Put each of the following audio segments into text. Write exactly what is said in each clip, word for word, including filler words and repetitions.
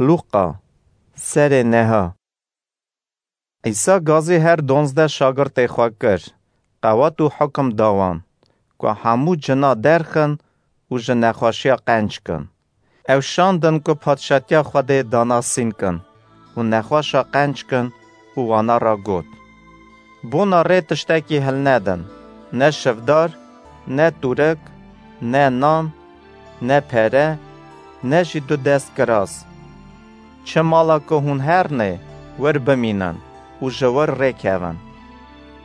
Lûqa, serê neha. Îsa gazî her donzdeh şagirtê xwe kir, qewat û hukim da wan, ku hemû cina derxin û ji nexweşiya qenc kin. Ew şandin ku padşatiya Xwedê danasîn kin û nexweşa qenc kin û wana ra got, Bona rê tiştekî hilnedin, ne şivdar, ne tûrik, ne nan, ne pere, ne jî du dest kiras. Çi mala ku hûn hernê, wir bimînin û ji wir rêkevin.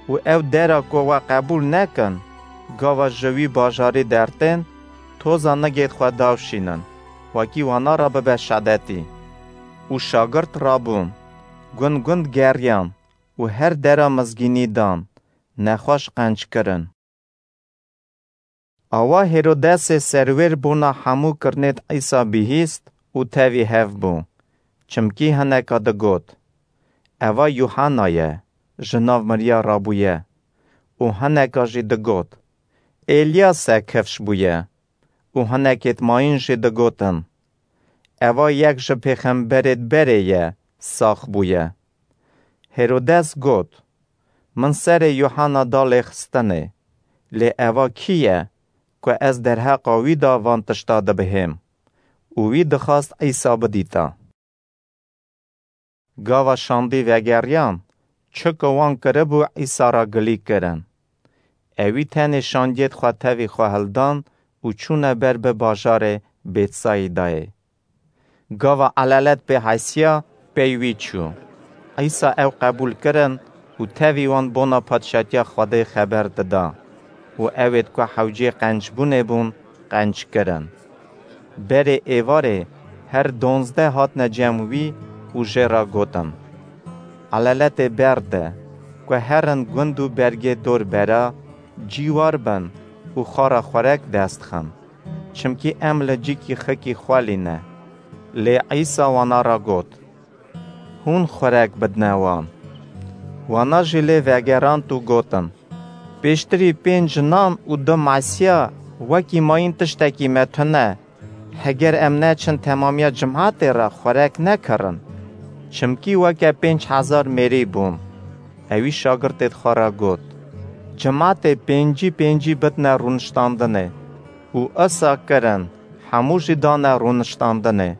Û ew dera ku we qebûl nekin, gava ji wî bajarî dertên, toza nigêt xwe davşînin, wekî wana re bibe şedetî. Û şagirt rabûn, gund gund geriyan û her dera mizgînî dan, nexweş qenc kirin. Awa Hêrodesê serwêr bona hemû kirinêd Îsa bihîst û tevî hev bû, çimkî hineka digot, Eva Yuhanna ye, ji nav miriya rabûye. Û hineka jî digot, Êlyas e kifş bûye. Û hinekêd mayîn jî digotin, Eva yek ji pêxemberêd berê ye, sax bûye. Hêrodes got, Min serê Yuhanna da lêxistinê, lê eva kî ye, ku ez derheqa wî de van tişta dibihêm? Û wî dixwast Îsa bidîta. Gava şandî vegeriyan, çi ku wan kiribû Îsa ra gilî kirin. Ewî tenê şandiyêd xwe tevî xwe hildan û çûne ber bi bajarê Bêtsayîdayê. Gava elelet pê hesiya, pey wî çû. Îsa ew qebûl kirin û tevî wan bona padşatiya Xwedê xeber dida û ewêd ku hewcê qencbûnê bûn, qenc kirin. Berê êvarê her donzdeh hatine cem wî û jê re gotin, Eleletê berde, ku herin gund û bergê dor bera, cîwar bin û xwe re xwerek dest xin. Çimkî em li cîkî xikî xwelî ne. Lê Îsa wana re got, Hûn xwerek bidine wan. Wana jî lê vegerand û gotin, Pêştirî pênc nan û du masiya wekî mayîn tiştekî me tune. Heger em neçin temamiya cimatê re xwerek nekirin. Çimkî weke pênc hezar mêrî bûn. Ewî şagirtêd xwe re got, Cimatê pêncî pêncî bidine rûniştandinê. Û isa kirin, hemû jî dane rûniştandinê.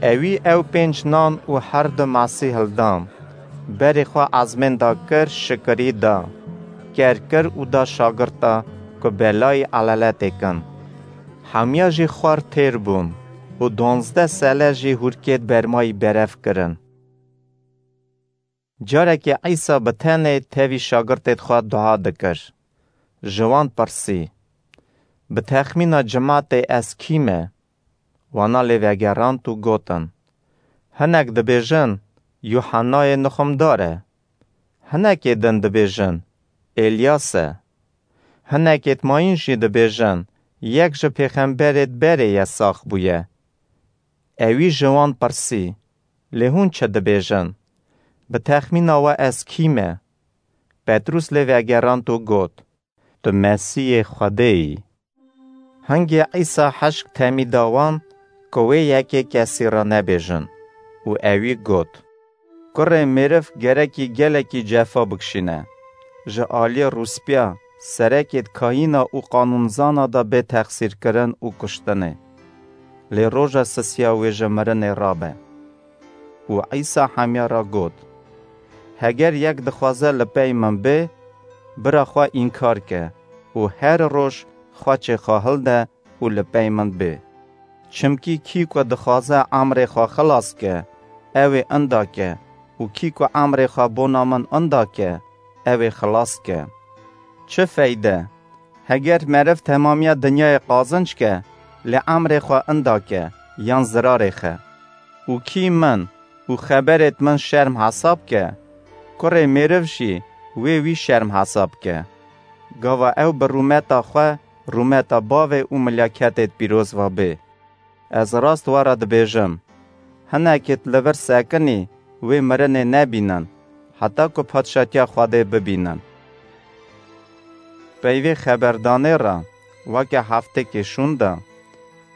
Ewî ew pênc nan û her du masî hildan, berê xwe ezmên da kir, şikirî da, ker kir û da şagirta ku belayî eleletê kin. Hemiya jî xwar têr bûn û donzdeh sele jî hûrkêd bermayî berev kirin. Carekê Îsa bi tenê tevî şagirtêd xwe dua dikir. Ji wan pirsî, Bi texmîna cimatê ez kî me? Wana lê vegerand û gotin, Hinek dibêjin, Yuhannayê nixumdar e. Hinekê din dibêjin, Êlyas e. Hinekêd mayîn jî dibêjin, yek ji pêxemberêd berê ye sax bûye. Ewî ji wan pirsî, Lê hûn çi dibêjin? Bi texmîna we ez kî me? Petrûs lê vegerand û got, Tu Mesîhê Xwedê yî. Hingê Îsa hişk temî da wan ku wê yekê kesî re nebêjin û ewî got, Kurê mêriv gerekî gelekî cefa bikişîne, ji aliyê rûspîya serekêd kahîna û qanûnzana de bê texsîrkirin û kuştinê. Lê roja sisiya wê ji mirinê rabe. Û Îsa hemiya re got, Heger yek dixwaze li pey min bê, bira xwe înkar ke û her roj xwe çê xwe hilde û li pey min bê. Çimkî kî ku dixwaze emrê xwe xilas ke, ew ê inda ke û kî ku emrê xwe bona min inda ke, ew ê xilas ke. Çi feyde? Heger meriv temamiya dinyayê qazinc ke, lê emrê xwe inda ke, yan zirarê xe. Û kî min û xeberêd min şerm hesab ke, kurê mêriv jî wê wî şerm hesab ke. Gava ew bi rûmeta xwe, rûmeta bavê û milyaketêd pîroz ve bê. Ez rast we re dibêjim, hinekêd li vir sekinî wê mirinê nebînin, heta ku padşatiya Xwedê bibînin. Peyvê xeberdanê re, weke heftêkê şûnda,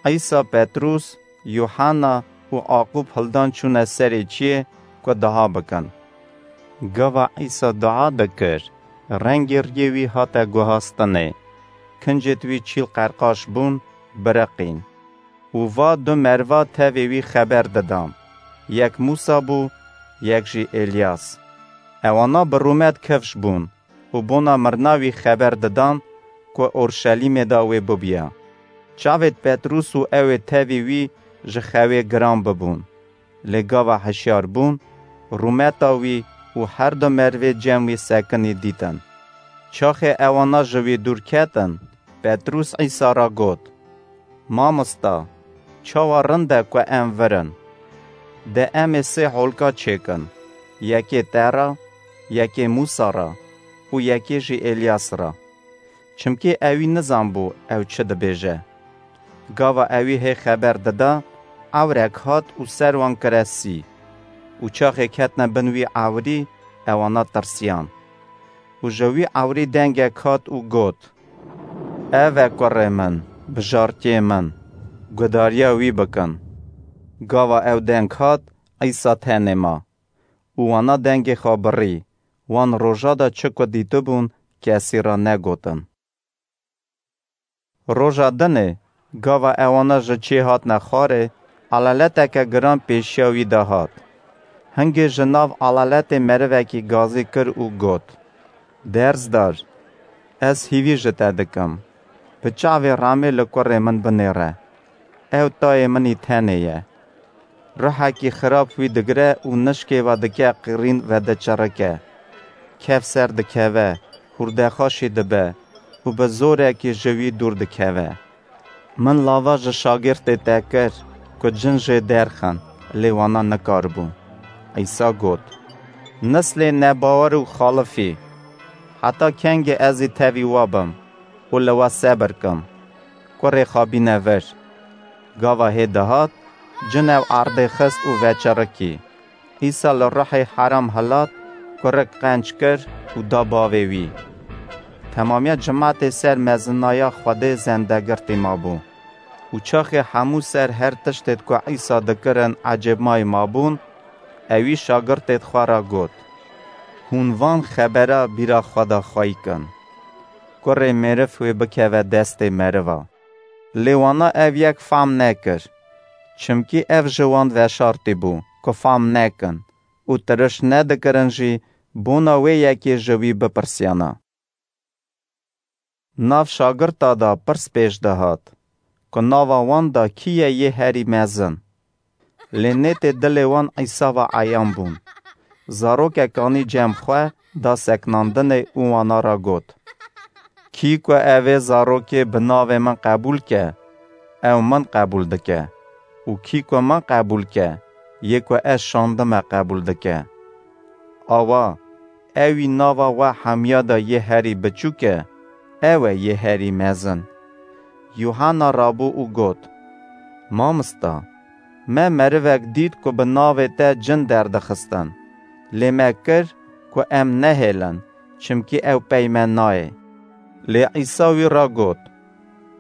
Îsa Petrûs, Yuhanna û Aqûb hildan çûne serê çiyê ku dua bikin. Gava Îsa dua dikir, rengê riyê wî hate guhastinê, kincêt wî çîl qerqaş bûn, biriqîn. Û va du merva tevê wî xeber didan, yek Mûsa bû, yek jî Elyas. Ewana bi rûmet kifş bûn û bona mirina wî xeber didan ku Orşelîmê de wê bibiya. Çavêt Petrûs û ew ê tevî wî ji xewê giran bibûn. Lê gava hişyar bûn, rûmeta wî û her du mervê cem wî sekinî dîtin. Çaxê ewana ji wî dûr ketin, Petrûs Îsa re got, Mamosta, çawa rind e ku em virin? De em ê sê holka çêkin, yekê te re, yekê Mûsa re û yekê jî Elyas re. Çimkî ewî nizanbû ew çi dibêje. Gava ewî hê xeber dida, ewrek hat û ser wan kire sî. Û çaxê ketine bin wî ewrî, ewana tirsiyan. Û ji wî ewrî dengek hat û got, Ev e kurê min, bijartiyê min, gudariya wî bikin. Gava ew deng hat, Îsa tenê ma. Û wana dengê xwe birî, wan roja de çi ku dîtibûn, kesî re negotin. Roja dinê, gava ewana ji çê hatine xwarê, elaleteke giran pêşiya wî de hat. Hingê ji nav elaletê merivekî gazî kir û got, Derzdar, ez hîvî ji te dikim. Bi çavê remê li kurê min binêre. Ew tayê min î tenê ye. Ruhekî xirab wî digire û nişkê ve dike qirîn ve diçirike. Kevser dikeve, hûrdexaşî dibe û bi zorekî ji wî dûr dikeve. Min lava ji şagirtê te kir ku cin jê derxin, lê wana nikaribû. Îsa got, Nislê nebawer û xalifî, heta kengê ez ê tevî we bim û li we sebir kim? Kurê xwe bîne vir. Gava hê dihat, cin ew erdê xist û veçirikî. Îsa li ruhê heram hilat, kurik qenc kir û da bavê wî. Temamiya cimatê ser mezinaya Xwedê zendegirtî mabû. Û çaxê hemû ser her tiştêt ku Îsa dikirin ecêbmayî mabûn, ewî şagirtêt xwe re got, Hûn van xebera bîra xwe de xweyî kin. Kurê mêriv wê bikeve destê meriva. Lê wana ev yek fam nekir, çimkî ev ji wan veşartî bû ku fam nekin û tiriş nedikirin jî bona wê yekê ji wî bipirsiyana. Nav şagirta de pirs pêş dihat, ku nava wan de kî ye yê herî mezin? Lê nêtê dilê wan Îsa ve eyan bûn. Zarokek anî cem xwe da seknandinê û wana re got, Kî ku ev ê zarokê bi navê min qebûl ke, ew min qebûl dike û kî ku min qebûl ke, yê ku ez şandime qebûl dike. Awa, ewî nava we hemiya de yê herî biçûk e, ew e yê herî mezin. Yuhanna rabû û got, Mamosta, me merivek dît ku bi navê te cin derdixistin, lê me kir ku em nehêlin, çimkî ew pey me nayê. Lê Îsa wî re got,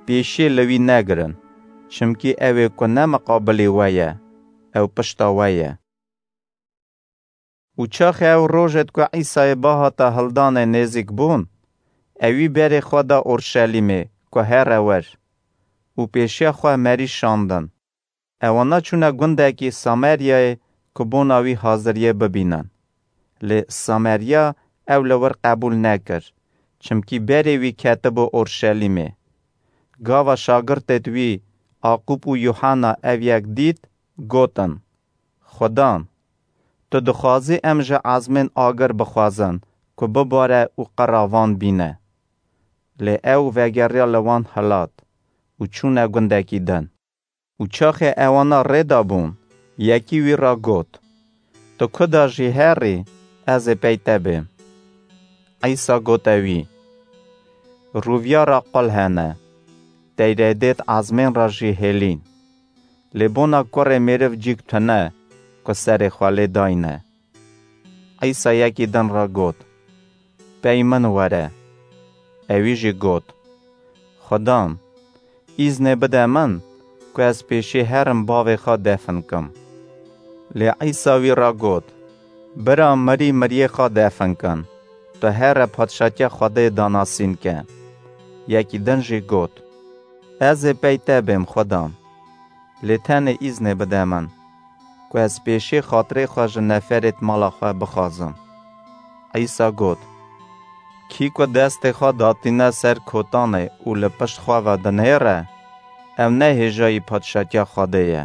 Pêşiyê li wî negirin, çimkî ew ê ku ne miqabilê we ye, ew pişta we ye. Û çaxê ew rojêt ku Îsayê bahata hildanê nêzîk bûn, ewî berê xwe da Orşelîmê ku here wer û pêşiya xwe merî şandin. Ewana çûne gundekî Sameryayê ku bona wî haziriyê bibînin. Lê Samerya ew li wir qebûl nekir, çimkî berê wî ketibû Orşelîmê. Gava şagirtêt wî Aqûb û Yuhanna ev yek dît, gotin, Xudan, tu dixwazî em ji ezmên agir bixwazin ku bibare û qira van bîne. Lê ew vegeriya li wan hilat û çûne gundekî din. Û çaxê ewana rê de bûn, yekî wî re got, Tu ku de jî herî, ez ê pey te bêm. Îsa gote wî, Rûviya re qul hene, teyredêt ezmên re jî hêlîn. Lê bona kurê mêriv cîk tune ku serê xwe lê dayne. Îsa yekî din re got, Pey min were. Ewî jî got, Xudan, îznê bide min ku ez pêşî herim bavê xwe defin kim. Lê Îsa wî re got, Bira, mirî miriyê xwe defin kin. Tu here padşatiya Xwedê danasîn ke. Yekî din jî got, Ez ê pey te bêm, Xweda. Lê tenê îznê bide min, ku ez pêşî xatirê xwe ji neferêt mala xwe bixwazim. Îsa got, Kî ku destê xwe datîne ser kotanê û li pişt xwe ve dinêre, ew ne hêjayî padşatiya Xwedê ye.